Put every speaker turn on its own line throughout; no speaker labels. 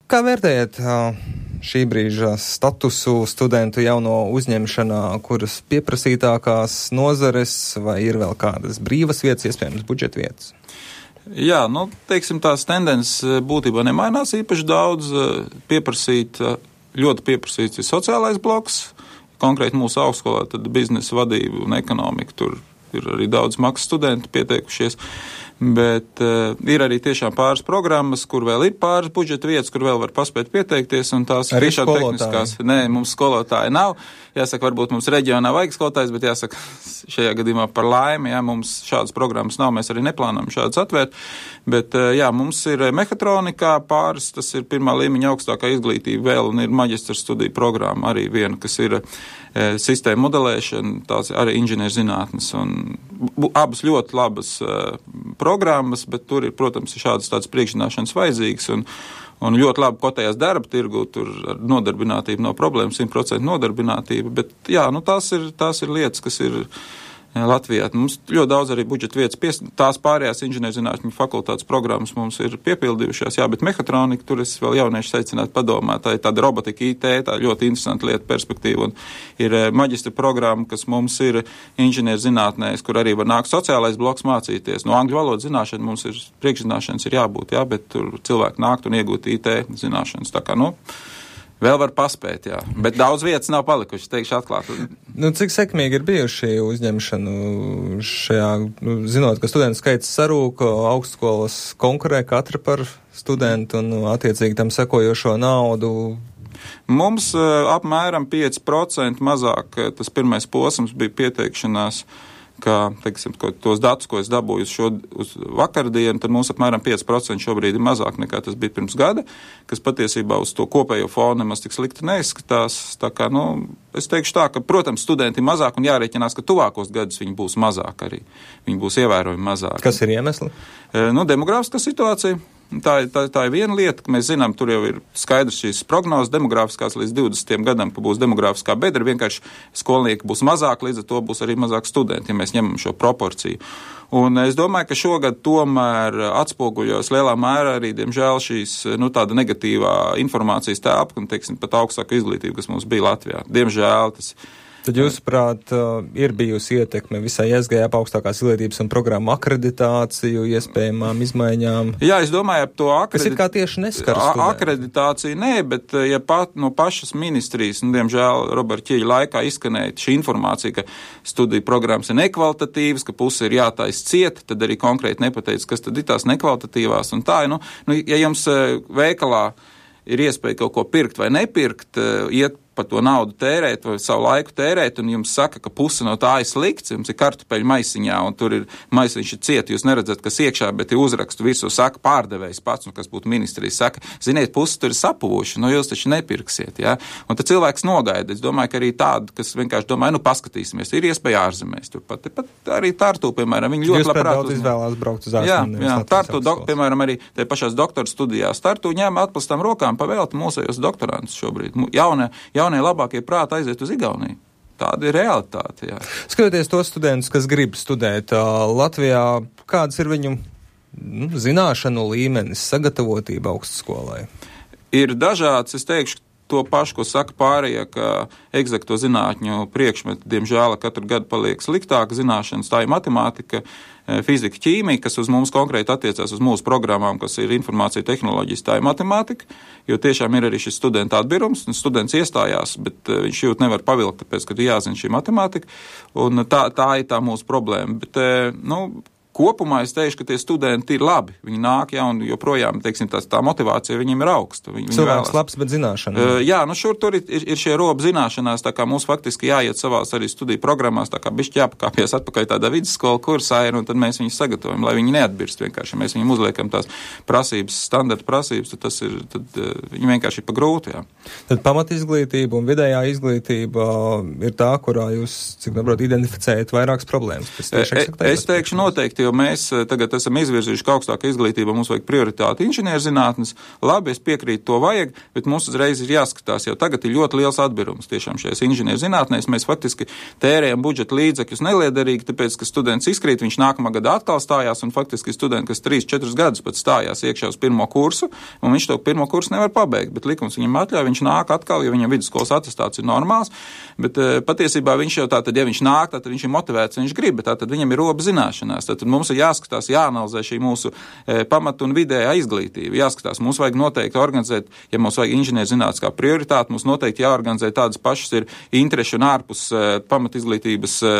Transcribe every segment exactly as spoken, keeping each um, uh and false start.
Kā vērtējat šī brīža statusu studentu jauno uzņemšanā, kuras pieprasītākās nozares vai ir vēl kādas brīvas vietas, iespējams budžeta vietas?
Jā, nu, teiksim, tās tendences būtībā nemainās īpaši daudz. Pieprasīt, ļoti pieprasīts ir sociālais bloks, konkrēti mūsu augstskolā, tad biznesa vadība un ekonomika, tur ir arī daudz maksas studenti pieteikušies. Bet uh, ir arī tiešām pāris programmas, kur vēl ir pāris budžeta vietas, kur vēl var paspēt pieteikties, un tās
arī
tiešām tehniskās. Nē, mums skolotāji nav. Jāsaka, varbūt mums reģionā vajag skolotājs, bet jāsaka, šajā gadījumā par laimi, jā, mums šādas programmas nav, mēs arī neplānojam šādas atvērt. Bet, uh, jā, mums ir mehatronikā pāris, tas ir pirmā līmeņa augstākā izglītība vēl, un ir maģistra studiju programma arī viena, kas ir uh, sistēma modelēšana, tās arī inženierzinātnes, un bu, abas ļoti labas uh, programmas, bet tur ir, protams, šādas tādas priekšzināšanas vajadzīgas, un, un ļoti labi kotējās darba tirgu, tur ar nodarbinātību nav problēma, simt procentu nodarbinātība, bet jā, nu tās ir, tās ir lietas, kas ir Latvijā. Mums ļoti daudz arī budžeta vietas, pies, tās pārējās inženierzinātņu fakultātes programmas mums ir piepildījušās, jā, bet mehatronika, tur es vēl jaunieši secinātu padomāt, tā ir tāda robotika I T, tā ļoti interesanta lieta perspektīva, un ir maģistra programma, kas mums ir inženierzinātnēs, kur arī var nākt sociālais bloks mācīties. No angļu valodas zināšana mums ir, priekšzināšanas ir jābūt, jā, bet tur cilvēki nākt un iegūt I T zināšanas, tā kā, nu, vēl var paspēt, jā. Bet daudz vietas nav palikušas, teikšu atklāti.
Nu, cik sekmīgi ir bijuši uzņemšanu šajā, nu, zinot, ka studentu skaits sarūk, augstskolas konkurē katra par studentu un attiecīgi tam sekojošo naudu?
Mums uh, apmēram pieci procenti mazāk, tas pirmais posms bija pieteikšanās, ka, teiksim, tos datus, ko es dabūju šo, uz vakardienu, tad mums apmēram pieci procenti šobrīd ir mazāk nekā tas bija pirms gada, kas patiesībā uz to kopējo fonu nemaz tik slikti neizskatās. Tā kā, nu, es teikšu tā, ka, protams, studenti ir mazāk un jārēķinās, ka tuvākos gadus viņi būs mazāk arī. Viņi būs ievērojami mazāk.
Kas ir iemesli?
E, nu, demogrāfiskā situācija. Tā, tā, tā ir viena lieta, ka mēs zinām, tur jau ir skaidrs šīs prognozes demogrāfiskās līdz divdesmitiem gadam, ka būs demogrāfiskā bedra, vienkārši skolnieki būs mazāk, līdz ar to būs arī mazāk studenti, ja mēs ņemam šo proporciju. Un es domāju, ka šogad tomēr atspoguļos lielā mērā arī, diemžēl, šīs, nu, tāda negatīvā informācijas tēpa, un, teiksim, pat augstāka izglītība, kas mums bija Latvijā. Diemžēl tas.
Tad, jūsuprāt, ir bijusi ietekme visai S G A augstākās izglītības un programmu akreditāciju, iespējamām izmaiņām?
Jā, es domāju, to akredit...
Kas ir kā tieši neskar studenti?
Akreditācija nē, bet ja pat no pašas ministrijas, nu, diemžēl, Roberta Ķieļa laikā izskanēja šī informācija, ka studiju programmas ir nekvalitatīvas, ka puse ir jātais ciet, tad arī konkrēti nepateica, kas tad ir tās nekvalitatīvās. Un tā, nu, nu, ja jums veikalā ir iespēja kaut ko pirkt vai nepirkt, iet par to naudu tērēt vai savu laiku tērēt, un jums saka, ka puse no tā ir slikts, jums ir kartupeļu maisiņā, un tur ir maisiņš ir ciet, jūs neredzat, kas iekšā, bet ir uzrakstu visu, saka pārdevējs pats, un kas būtu ministrijas, saka, ziniet, puse tur ir sapuvuši, nu jūs taču nepirksiet, jā. Un tad cilvēks nogaida, es domāju, ka arī tādu, kas vienkārši domāju, nu paskatīsimies, ir iespēja ārzemēs, tur pat, pat arī Tartu, piemēram, viņi ļoti labprāt
uz... izvēlās braukt uz ārzemēs.
Jā, jā, Tartu, dok, piemēram, arī tie pašās doktora studijās, Tartu ņem atplastam rokām pavēlti mūsējos doktorantus šobrīd, jaunie, jaunie labākie prāti aiziet uz Igauniju. Tāda ir realitāte, jā.
Skatoties tos studentus, kas grib studēt uh, Latvijā, kādas ir viņu nu, zināšanu līmenis, sagatavotība augstskolai? Ir
dažāds, es teikšu, to pašu, ko saka pārējie, ka egzakto zinātņu priekšmeti, diemžēl, katru gadu paliek sliktāk zināšanas, tā ir matemātika, fizika, ķīmija, kas uz mums konkrēti attiecās uz mūsu programmām, kas ir informācija tehnoloģijas, tā ir matemātika, jo tiešām ir arī šis studenta atbirums, un students iestājās, bet viņš jūt nevar pavilkt, tāpēc, ka jāzina šī matemātika, un tā, tā ir tā mūsu problēma. Bet, nu, kopumā es teikšu, ka tie studenti ir labi. Viņi nāk, jā, un joprojām, teiksim, tā, tā motivācija viņiem ir augsta. Viņi,
Cilvēks viņi labs, bet zināšana.
Uh, jā, nu šur tur ir, ir, ir šie robi zināšanās, tā kā mums faktiski jāiet savās arī studiju programmās, tā kā bišķi jāpakāpjas atpakaļ tādā vidusskola kursā ir, un tad mēs viņus sagatavojam, lai viņi neatbirst vienkārši. Ja mēs viņiem uzliekam tās prasības, standarta prasības, tad tas ir, tad uh, viņi vienkārši ir pa grūti, jā.
Tad pamatizglītība un vidējā izglītība ir tā, kurā jūs, cik nebrot, identificējat vairākas problēmas.
Es, es teikšu noteikti, ka jau mēs tagad esam izvirzījuši, ka augstākā izglītība mums vajag prioritāti inženierzinātnes. Labi, es piekrītu, to vajag, bet mums uzreiz ir jāskatās, jau tagad ir ļoti liels atbirums tiešām šajās inženierzinātnēs. Mēs faktiski tērējam budžeta līdzekļus neliederīgi, tāpēc, ka students izkrīt, viņš nākamā gada atkal stājās, un faktiski studenti, kas trīs četrus gadus pat stājās iekšā uz pirmo kursu, un viņš to pirmo kursu nevar pabeigt, bet likums viņam atļauj, viņš nāk atkal, jo viņam vidusskolas atestāts ir normāls, bet patiesībā viņš jau tātad, ja viņš nāk, tad viņš ir motivēts, viņš grib, bet tātad viņam ir roba zināšanās. Tad mums ir jāskatās, jāanalizē šī mūsu e, pamata un vidējā izglītība. Jāskatās, mums vajag noteikti organizēt, ja mums vajag inženierzinātnes kā prioritāti, mums noteikti jāorganizē tādas pašas ir interešu un ārpus e, pamata izglītības e,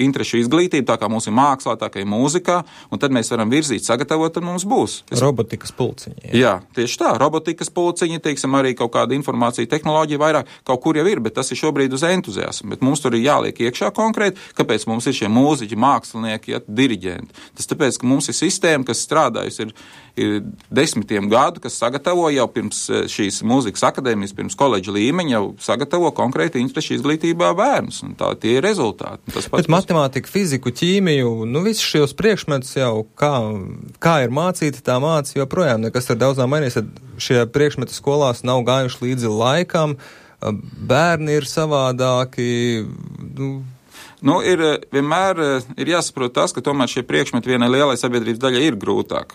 interešu izglītība, tā kā mums ir mākslā, tā kā ir mūzikā, un tad mēs varam virzīt, sagatavot, tad mums būs.
Es... Robotikas pulciņi. Jā.
jā, tieši tā, robotikas pulciņi, teiksim, arī kaut kāda informācija, tehnoloģija vairāk, kaut kur jau ir, bet tas ir šobrīd uz entuziasmu, bet mums tur ir jāliek iekšā konkrēti, kāpēc mums ir šie mūziķi, mākslinieki, ja, diriģenti. Tas tāpēc, ka mums ir sistēma, kas strādājusi ir, ir desmitiem gadu, kas sagatavo jau pirms šīs mūzikas akadēmijas, pirms koledža līmeņa, jau sagatavo konkrēti interešu izglītībā bērnus, un tā tie ir rezultāti. Tas pats,
bet matemātika, fiziku, ķīmiju, nu visus šos priekšmetus jau, kā, kā ir mācīti, tā māca joprojām, nekas ar daudzām mainīs, tad šie priekšmeti skolās nav gājuši līdzi laikam, bērni ir savādāki, nu,
Nu, ir vienmēr ir jāsaprot tas, ka tomēr šie priekšmeti vienai lielai sabiedrības daļai ir grūtāk.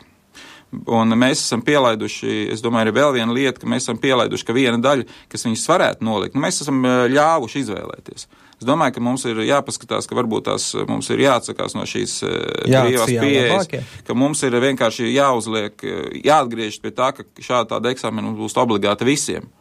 Un mēs esam pielaiduši, es domāju, ir vēl viena lieta, ka mēs esam pielaiduši, ka viena daļa, kas viņus varētu nolikt, nu, mēs esam ļāvuši izvēlēties. Es domāju, ka mums ir jāpaskatās, ka varbūt tās mums ir jāatsakās no šīs brīvās pieejas, ka mums ir vienkārši jāuzliek, jāatgriežas pie tā, ka šāda tāda eksāmena būs obligāta visiem.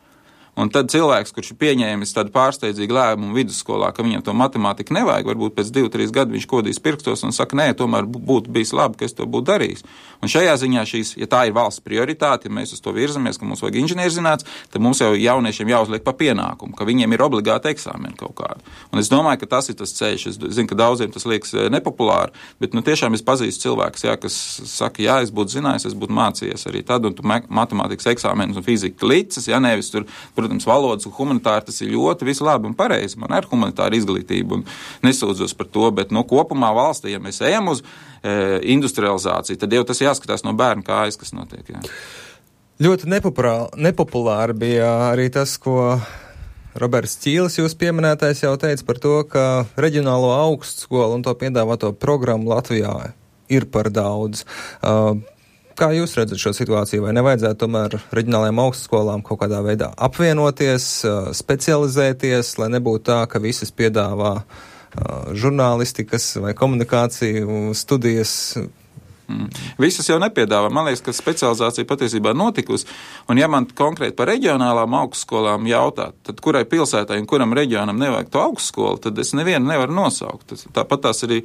Un tad cilvēks, kurš ir pieņēmis tādu pārsteidzīgu lēmumu vidusskolā, ka viņam to matemātiku nevajag, varbūt pēc divu, trīs gadu viņš kodīs pirkstos un saka, nē, tomēr būtu bijis labi, ka es to būtu darījis. Un šajā ziņā šīs, ja tā ir valsts prioritāte, ja mēs uz to virzamies, ka mums vajag inženierzinātnes, tad mums jau jauniešiem jāuzliek pa pienākumu, ka viņiem ir obligāti eksāmeni kaut kādi. Un es domāju, ka tas ir tas ceļš. Es zinu, ka daudziem tas liekas nepopulāri, bet nu tiešām es pazīstu cilvēkus, jā, kas saka, jā, es būtu zinājis, es būtu mācījies arī tad, un tu matemātikas eksāmenus un fizika licis, ja nevis tur, protams, valodas un humanitāri, tas ir ļoti visu labi un pareizi. Man ir humanitāra izglītība un nesūdzos par to, bet nu, kopumā valstī, ja mēs ejam uz e, industrializāciju, tad jau tas jāskatās no bērna kājas, kas notiek. Jā.
Ļoti nepopulāri bija arī tas, ko Roberts Ķīlis, jūs pieminētais, jau teica par to, ka reģionālo augstskolu un to piedāvāto programmu Latvijā ir par daudz. Uh, Kā jūs redzat šo situāciju? Vai nevajadzētu tomēr reģionālajām augstskolām kaut kādā veidā apvienoties, specializēties, lai nebūtu tā, ka visas piedāvā žurnālistikas vai komunikāciju studijas?
Mm. Visas jau nepiedāvā. Man liekas, ka specializācija patiesībā notikusi. Un ja man konkrēti par reģionālām augstskolām jautāt, tad kurai pilsētai un kuram reģionam nevajag to augstskolu, tad es nevienu nevaru nosaukt. Tāpat tās arī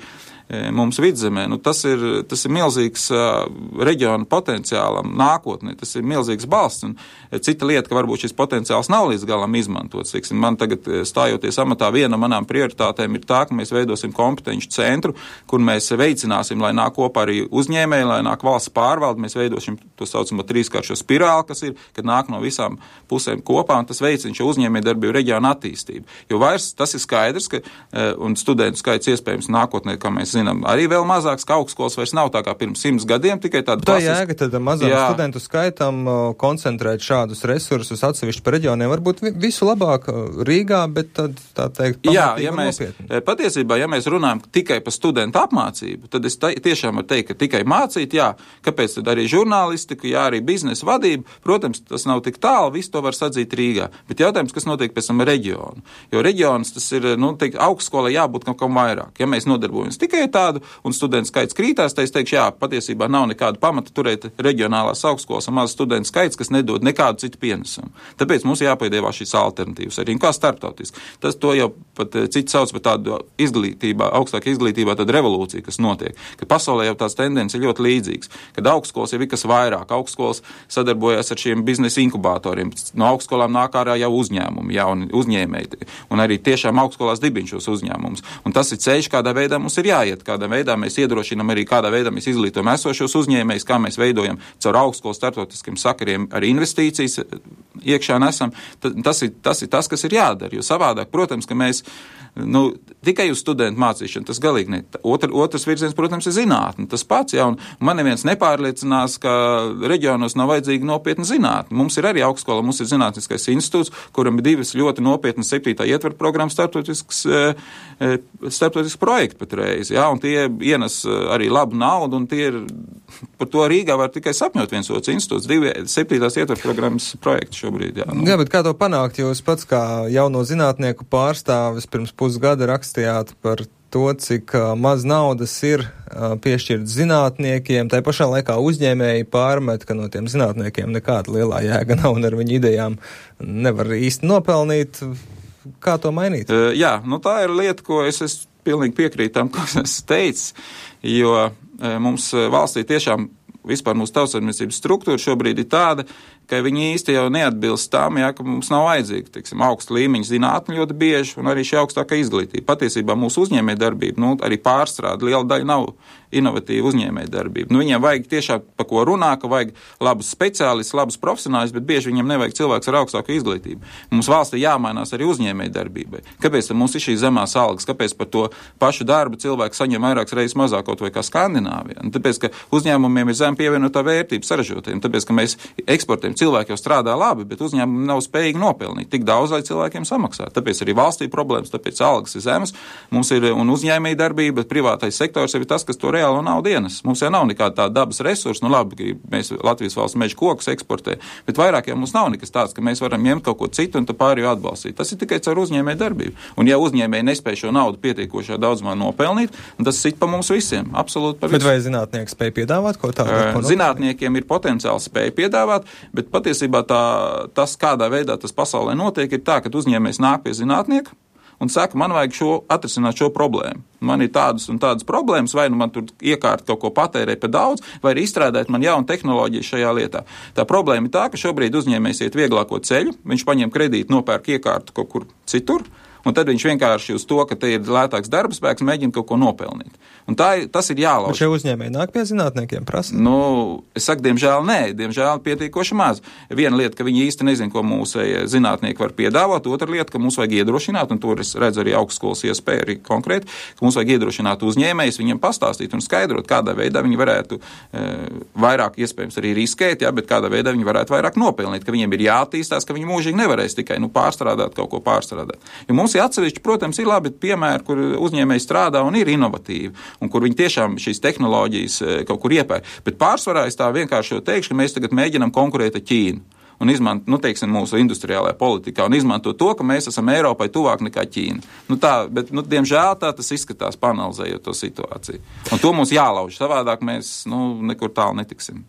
mums vidzemē. Nu, tas ir, tas ir milzīgs uh, reģionu potenciālam nākotnē. Tas ir milzīgs balsts. Un cita lieta, ka varbūt šis potenciāls nav līdz galam izmantots. Tiksim, man tagad stājoties amatā, viena no manām prioritātēm ir tā, ka mēs veidosim kompetenci centru, kur mēs veicināsim, lai nāk kopā arī uzņēmēji, lai nāk valsts pārvalde. Mēs veidosim to saucamo trīskāršo spirāli, kas ir, kad nāk no visām pusēm kopā, un tas veicina šo uzņēmējdarbību reģionu attīstību. Jo vairs tas ir skaidrs, ka un studentu skaits iespējams nākotnē, kā mēs zinām, arī vēl mazāks, ka augstskolas vairs nav tā kā pirms simts gadiem, tikai tāda
klasiska. Tā jēga tad mazām jā. Studentu skaitam koncentrēt šādus resursus atsevišķi par reģioniem, varbūt visu labāk Rīgā, bet tad, tā teikt, pamatīgi
ja
un
mēs,
nopietni.
Patiesībā, ja mēs runājam tikai par studentu apmācību, tad es ta, tiešām varu teikt, ka tikai mācīt, jā, kāpēc tad arī žurnālistika, jā, arī biznesa vadība, protams, tas nav tik tālu, visu to var sadzīt Rīgā, bet jautājums, kas notiek pēc tam reģionu, jo reģions tas ir, nu, teikt, augstskolai jābūt kaut kam vairāk, ja mēs nodarbojamies tikai tādu, un studentu skaits krītās, tad es teikšu, jā, patiesībā nav nekāda pamata turēt reģionālās augstskolas un maz studentu skaits, kas nedod nekādu citu pienesumu. Tāpēc mums jāpiedāvā šīs alternatīvas arī, kā starptautiski. Tas to jau pat citi sauc par tādu izglītībā, augstākā izglītībā tādu revolūciju, kas notiek. Kad pasaulē jau tās tendences ir ļoti līdzīgas. Kad augstskolas jau ir kas vairāk, augstskolas sadarbojas ar šiem biznesa inkubatoriem. No augstskolām nāk ārā jau uzņēmumi, jauni uzņēmēji. Un arī tiešām augstskolās dibina šos uzņēmumus. Un tas ir ceļš, kādā veidā mums ir jāiet, kādā veidā mēs iedrošinām arī, kādā veidā mēs izglītojam esošos uzņēmējus, kā mēs veidojam caur augstskolu starptautiskiem sakariem arī investīcijas iekšā nesam, tas ir, tas ir tas, kas ir jādara, jo savādāk, protams, ka mēs nu, tikai uz studentu mācīšanu, tas galīgi ne. Otr, otrs virziens, protams, ir zinātne. Tas pats, ja, un man neviens nepārliecinās, ka reģionos nav vajadzīga nopietna zinātne. Mums ir arī augstskola, mums ir zinātniskais institūts, kuram ir divas ļoti nopietnas septītā ietvaru programmas starptautisks, starptautisks projekti patreiz, ja, un tie ienes arī labu naudu, un tie ir, par to Rīgā var tikai sapņot viens otrs institūts, divi septītās ietvaru programmas projekti šobrīd. Jā, nu.
Jā, bet kā to panākt? Jūs pats kā jauno zinātnieku pārstāvis pirms pusgada rakstījāt par to, cik uh, maz naudas ir uh, piešķirts zinātniekiem. Tā pašā laikā uzņēmēji pārmet, ka no tiem zinātniekiem nekāda lielā jēga nav un ar viņu idejām nevar īsti nopelnīt. Kā to mainīt?
Uh, jā, nu tā ir lieta, ko es, es pilnīgi piekrītu tam, ko es teicu, jo uh, mums valstī tiešām vispār mūsu tautsaimniecības struktūra šobrīd ir tāda, ka viņi īsti jau neatbilst tam, ja, ka mums nav vajadzīga, teiksim, augsta līmeņa zinātne ļoti bieži un arī šī augstākā izglītība. Patiesībā mūsu uzņēmēja darbība, nu, arī pārstrāde, liela daļa nav inovatīva uzņēmēja darbība. Nu, viņiem vajag tiešām pa ko runā, ka vajag labus speciālistus, labus profesionāļus, bet bieži viņiem nevajag cilvēks ar augstāku izglītību. Mums valstī jāmainās arī uzņēmēja darbībai. Kāpēc mums ir šīs zemās algas? Kāpēc par to pašu darbu cilvēku saņem vairākas reizes mazāk kaut vai kā Skandināvijā? Nu, tāpēc, ka uzņēmumiem ir zem pievienotā vērtība saražotiem, tāpēc, ka mēs eksportējam. Cilvēki jau strādā labi, bet uzņēmumi nav spējīgi nopelnīt tik daudz, lai cilvēkiem samaksā. Tāpēc arī valstī problēmas, tāpēc algas ir zemes, mums ir un uzņēmēja darbība, bet privātais sektors ir tas, kas to reālo naudu ienes. Mums jau nav nekāda tāda dabas resursa, nu labi, ka mēs Latvijas valsts meža kokus eksportē, bet vairāk jau mums nav nekas tāds, ka mēs varam ņemt kaut ko citu un tā pārējo atbalstīt. Tas ir tikai caur uzņēmēja darbību. Un ja uzņēmēji nespēj šo naudu pietiekošā daudzumā nopelnīt, tas sit pa mums visiem, absolūti pa visiem.
Bet vai zinātnieki spēj piedāvāt ko tādu?
Zinātniekiem ir potenciāli spēja piedāvāt, bet patiesībā tā, tas, kādā veidā tas pasaulē notiek, ir tā, ka uzņēmējs nāk pie zinātnieka un saka, man vajag šo, atrisināt šo problēmu. Man ir tādas un tādas problēmas, vai nu man tur iekārt kaut ko patērē pa daudz, vai arī izstrādāt man jaunu tehnoloģiju šajā lietā. Tā problēma ir tā, ka šobrīd uzņēmējs iet vieglāko ceļu, viņš paņem kredītu, nopērk iekārtu kaut kur citur, un tad viņš vienkārši uz to, ka te ir lētāks darba spēks, mēģina kaut ko nopelnīt. Un tā, tas ir jālauž.
Bet šie uzņēmēji nāk pie zinātniekiem prasa?
Nu, es saku, diemžēl nē, diemžēl pietiekoši maz. Viena lieta, ka viņi īsti nezin, ko mūsu zinātnieki var piedāvāt, otra lieta, ka mums vajag iedrošināt, un tur es redzu arī augstskolas iespēju arī konkrēti, ka mums vajag iedrošināt uzņēmējus, viņiem pastāstīt un skaidrot, kādā veidā viņi varētu e, vairāk iespējams arī riskēt, ja, bet kādā veidā viņi varētu vairāk nopelnīt, ka viņiem ir jāattīstās, ka viņi mūžīgi nevarēs tikai nu, pārstrādāt kaut ko pārstrādāt. Jo mums ir atsevišķi, protams, ir labi piemēri, kur uzņēmēji strādā un ir inovatīvi, un kur viņi tiešām šīs tehnoloģijas kaut kur iepērk. Bet pārsvarā es tā vienkārši teikšu, ka mēs tagad mēģinam konkurēt ar Ķīnu un izmantot, nu, teiksim, mūsu industriālajā politikā un izmantot to, ka mēs esam Eiropai tuvāk nekā Ķīna. Nu, tā, bet, nu, diemžēl tā tas izskatās, panalizējot to situāciju. Un to mums jālauž, savādāk mēs, nu, nekur tālu netiksim.